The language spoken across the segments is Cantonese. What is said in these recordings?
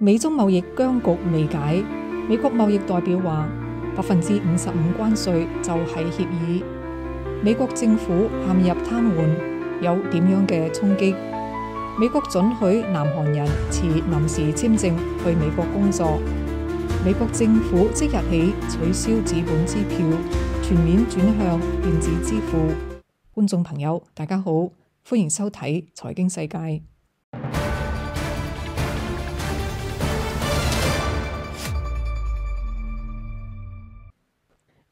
美中貿易僵局未解，美國貿易代表話55%關稅就係協議。美國政府陷入癱瘓，有點樣嘅衝擊？美國准許南韓人持臨時簽證去美國工作。美國政府即日起取消紙本支票，全面轉向電子支付。觀眾朋友，大家好，歡迎收睇財經世界。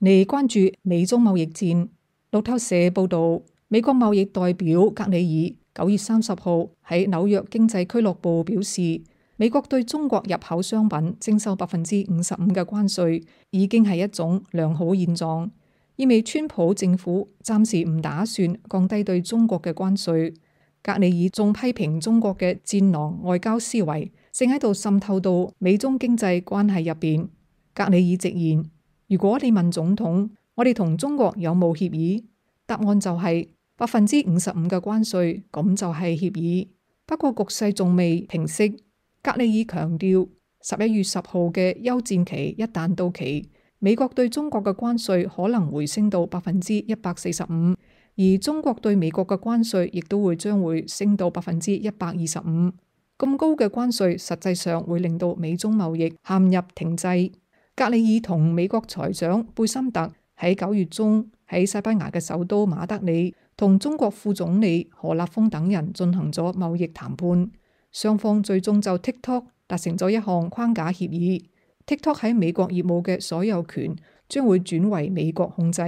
嚟關注美中貿易戰。路透社報導，美國貿易代表格里爾9月30號喺紐約經濟俱樂部表示，美國對中國入口商品徵收55%嘅關稅已經係一種良好現狀，意味川普政府暫時唔打算降低對中國嘅關稅。格里爾仲批評中國嘅戰狼外交思維正喺度滲透到美中經濟關係入邊。格里爾直言，如果你問總統，我哋同中國有冇協議？答案就係55%嘅關稅，咁就係協議。不過局勢仲未平息。格里爾強調，11月10號嘅休戰期一旦到期，美國對中國嘅關稅可能回升到145%，而中國對美國嘅關稅亦都將會升到125%。咁高嘅關稅實際上會令到美中貿易陷入停滯。格里爾同美國財長貝森特喺9月中喺西班牙嘅首都馬德里同中國副總理何立峰等人進行咗貿易談判，雙方最終就 TikTok 達成咗一項框架協議。TikTok 喺美國業務嘅所有權將會轉為美國控制。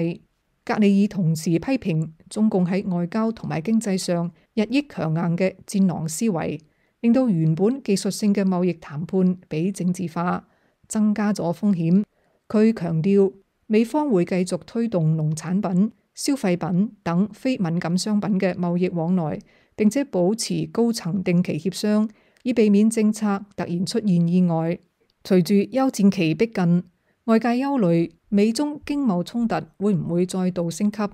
格里爾同時批評中共喺外交同埋經濟上日益強硬嘅戰狼思維，令到原本技術性嘅貿易談判被政治化，增加咗風險。佢強調美方會繼續推動農產品、消費品等非敏感商品嘅貿易往來，並且保持高層定期協商，以避免政策突然出現意外。隨住休戰期逼近，外界憂慮美中經貿衝突會唔會再度升級？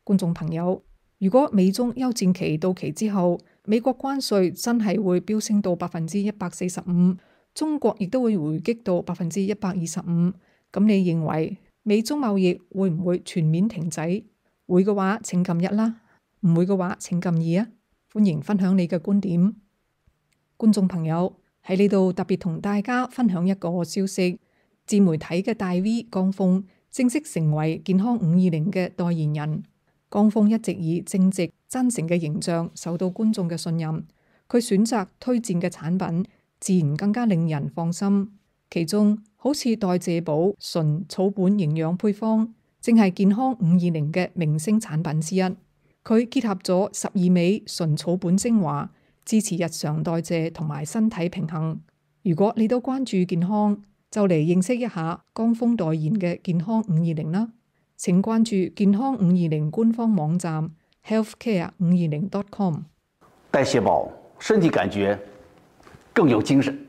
觀眾朋友，如果美中休戰期到期之後，美國關稅真係會飆升到145%，中國亦都會回擊到125%，咁你認為美中貿易會唔會全面停滯？會嘅話請撳1啦，唔會嘅話請撳2啊！歡迎分享你嘅觀點。觀眾朋友，喺呢度特別同大家分享一個消息，自媒體嘅大 V 江峰正式成為健康520嘅代言人。江峰一直以正直真誠嘅形象受到觀眾嘅信任，佢選擇推薦嘅產品自然更加令人放心。其中好似代謝寶純草本營養配方，正係健康520嘅明星產品之一。佢結合咗12味純草本精華，支持日常代謝同埋身體平衡。如果你都關注健康，就嚟認識一下江峰代言嘅健康520啦。請關注健康520官方網站 healthcare520.com。代謝寶，身體感覺更有精神。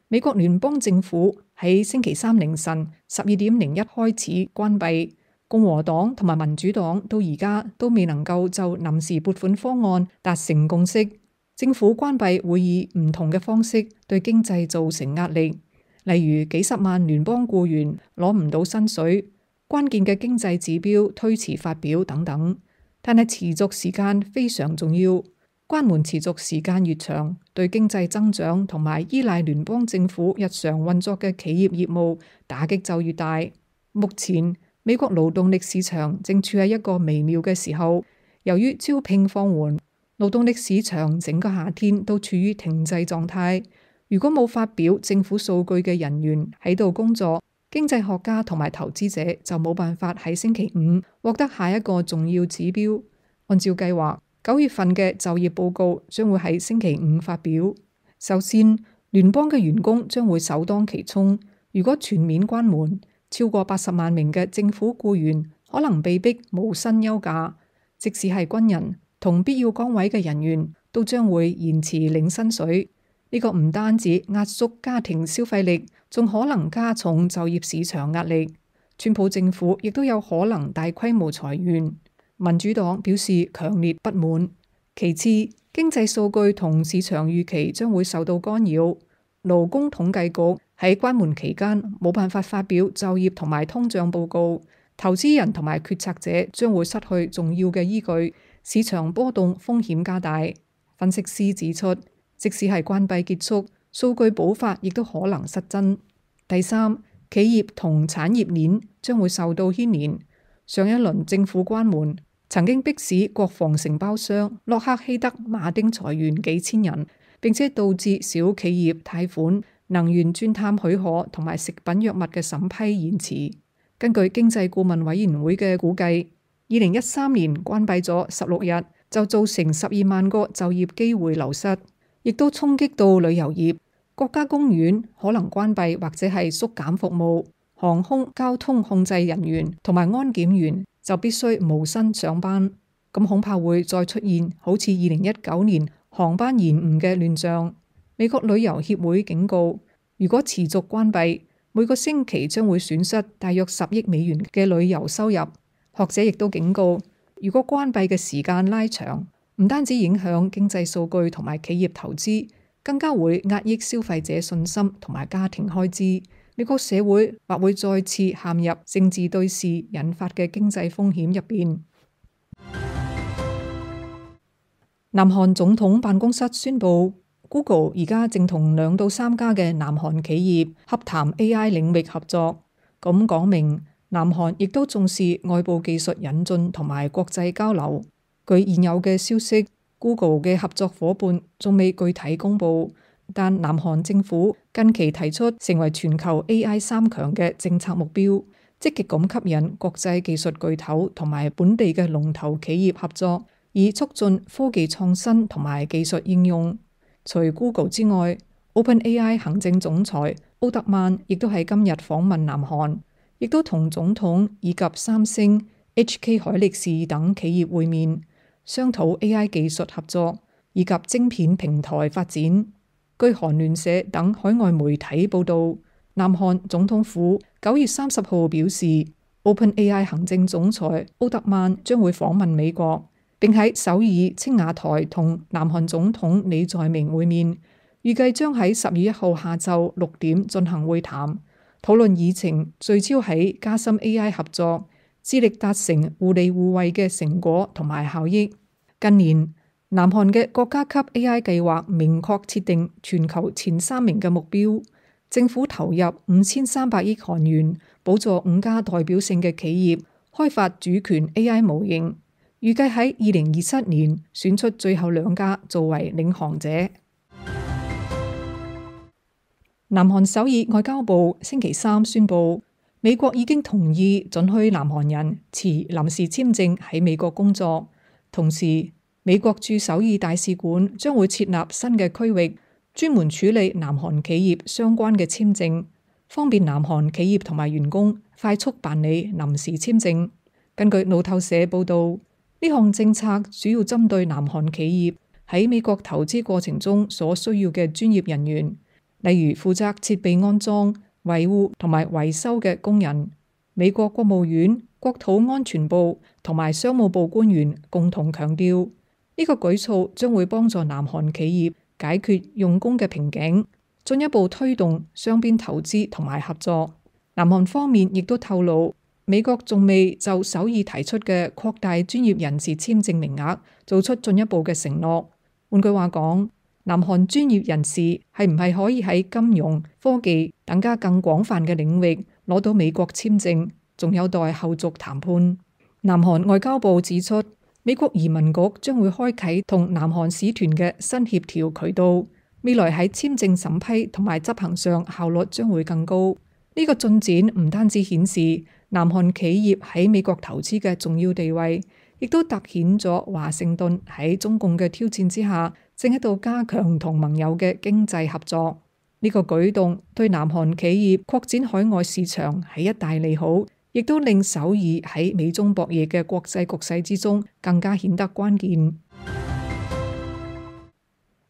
美國聯邦政府喺星期三凌晨12:01開始關閉，共和黨同埋民主黨到而家都未能夠就臨時撥款方案達成共識。政府關閉會以唔同嘅方式對經濟造成壓力，例如幾十萬聯邦僱員攞唔到薪水，關鍵嘅經濟指標推遲發表等等。但係持續時間非常重要。關門持續時間越長，對經濟增長同埋依賴聯邦政府日常運作嘅企業業務打擊就越大。目前美國勞動力市場正處喺一個微妙嘅時候，由於招聘放緩，勞動力市場整個夏天都處於停滯狀態。如果冇發表政府數據嘅人員喺度工作，經濟學家同埋投資者就冇辦法喺星期五獲得下一個重要指標。按照計劃，9月份嘅就業報告將會喺星期五發表。首先，聯邦嘅員工將會首當其衝。如果全面關門，超過80萬名嘅政府僱員可能被逼無薪休假，即使係軍人同必要崗位嘅人員都將會延遲領薪水。呢個唔單止壓縮家庭消費力，仲可能加重就業市場壓力。川普政府亦都有可能大規模裁員。民主黨表示強烈不滿。其次，經濟數據同市場預期將會受到干擾。勞工統計局喺關門期間冇辦法發表就業同埋通脹報告，投資人同埋決策者將會失去重要嘅依據，市場波動風險加大。分析師指出，即使係關閉結束，數據補發亦都可能失真。第三，企業同產業鏈將會受到牽連。上一輪政府關門曾經迫使國防承包商洛克希德馬丁裁員幾千人，並且導致小企業貸款、能源鑽探許可同埋食品藥物嘅審批延遲。根據經濟顧問委員會嘅估計，2013年關閉咗16日，就造成12萬個就業機會流失，亦都衝擊到旅遊業。國家公園可能關閉或者係縮減服務，航空交通控制人員同埋安檢員就必須無薪上班。咁恐怕會再出現好似2019年航班延誤嘅亂象。美國旅遊協會警告，如果持續關閉，每個星期將會損失大約10億美元嘅旅遊收入。學者亦都警告，如果關閉嘅時間拉長，唔單止影響經濟數據同埋企業投資，更加會壓抑消費者信心同埋家庭開支。美國社會或會再次陷入政治對峙引發嘅經濟風險入邊。南韓總統辦公室宣布，Google 而家正同2到3家嘅南韓企業洽談 AI 領域合作，咁講明南韓亦都重視外部技術引進同埋國際交流。據現有嘅消息，Google 嘅合作夥伴仲未具體公布，但南韓政府近期提出成為全球 AI 3強嘅政策目標，積極咁吸引國際技術巨頭同埋本地嘅龍頭企業合作，以促進科技創新同埋技術應用。除 Google 之外，OpenAI 行政總裁奧特曼亦都喺今日訪問南韓，亦都同總統以及三星、HK 海力士等企業會面，商討 AI 技術合作以及晶片平台發展。據韓聯社等海外媒體報道，南韓總統府9月30號表示，OpenAI 行政總裁奧特曼將會訪問美國，並喺首爾青瓦台同南韓總統李在明會面，預計將喺10月1號下晝6點進行會談，討論議程聚焦喺加深 AI 合作，致力達成互利互惠嘅成果同埋效益。近年，南韓嘅國家級 AI 計劃明確設定全球前3名嘅目標，政府投入5300億韓元，補助5家代表性嘅企業開發主權 AI 模型。預計喺2027年選出最後2家作為領航者。南韓首爾外交部星期3宣布，美國已經同意准許南韓人持臨時簽證喺美國工作，同時美國駐首爾大使館將會設立新嘅區域，專門處理南韓企業相關嘅簽證，方便南韓企業同埋員工快速辦理臨時簽證。根據路透社報導，呢項政策主要針對南韓企業喺美國投資過程中所需要嘅專業人員，例如負責設備安裝、維護同埋維修嘅工人。美國國務院、國土安全部同埋商務部官員共同強調，呢個舉措將會幫助南韓企業解決用工嘅瓶頸，進一步推動雙邊投資同埋合作。南韓方面亦都透露，美國仲未就首爾提出嘅擴大專業人士簽證名額做出進一步嘅承諾。換句話講，南韓專業人士係唔係可以喺金融、科技等加更廣泛嘅領域攞到美國簽證，仲有待後續談判。南韓外交部指出，美國移民局將會開啟同南韓使團嘅新協調渠道，未來喺簽證審批同埋執行上效率將會更高。呢個進展唔單止顯示南韓企業喺美國投資嘅重要地位，亦都凸顯咗華盛頓喺中共嘅挑戰之下，正喺度加強同盟友嘅經濟合作。呢個舉動對南韓企業擴展海外市場係一大利好，亦都令首爾喺美中博弈嘅國際局勢之中更加顯得關鍵。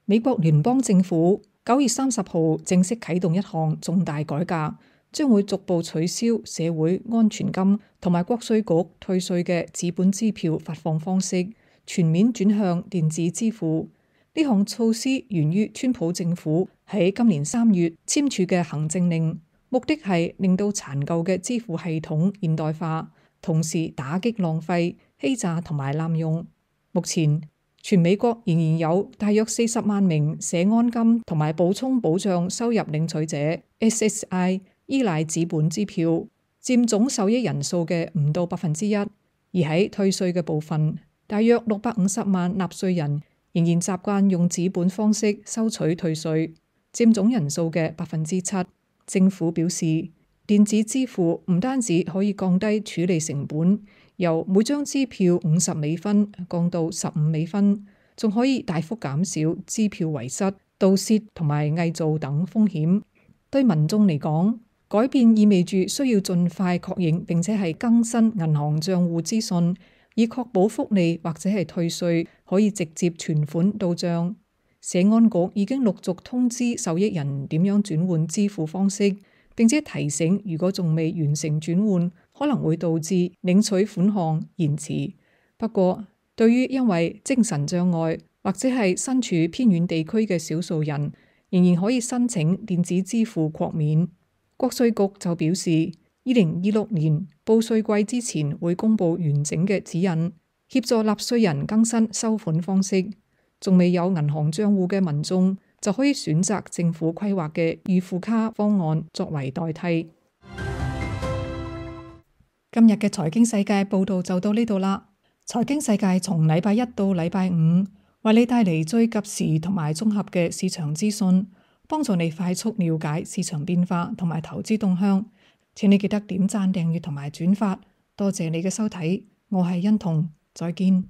美國聯邦政府9月30號正式啟動一項重大改革，將會逐步取消社會安全金同埋國稅局退稅嘅紙本支票發放方式，全面轉向電子支付。呢項措施源於川普政府喺今年3月簽署嘅行政令，目的係令到殘舊嘅支付系統現代化，同時打擊浪費、欺詐同埋濫用。目前全美國仍然有大約40萬名社安金同埋補充保障收入領取者 SSI 依賴紙本支票，佔總受益人數嘅唔到1%。而喺退稅嘅部分，大約650萬納稅人仍然習慣用紙本方式收取退稅，佔總人數嘅7%。政府表示，電子支付唔單止可以降低處理成本，由每張支票50美分降到15美分，仲可以大幅減少支票遺失、盜竊同埋偽造等風險。對民眾嚟講，改變意味住需要盡快確認並且係更新銀行帳戶資訊，以確保福利或者係退稅可以直接存款到帳。社安局已經陸續通知受益人點樣轉換支付方式，並且提醒如果仲未完成轉換，可能會導致領取款項延遲。不過，對於因為精神障礙或者係身處偏遠地區嘅少數人，仍然可以申請電子支付豁免。國稅局就表示，2026年報稅季之前會公布完整嘅指引，協助納稅人更新收款方式。仲未有銀行帳戶嘅民眾就可以選擇政府規劃嘅預付卡方案作為代替。今日嘅財經世界報道就到呢度啦。財經世界從禮拜一到禮拜五，為你帶嚟最及時同埋綜合嘅市場資訊，幫助你快速了解市場變化同埋投資動向。請你記得點讚、訂閱同埋轉發。多謝你嘅收睇，我係欣彤，再見。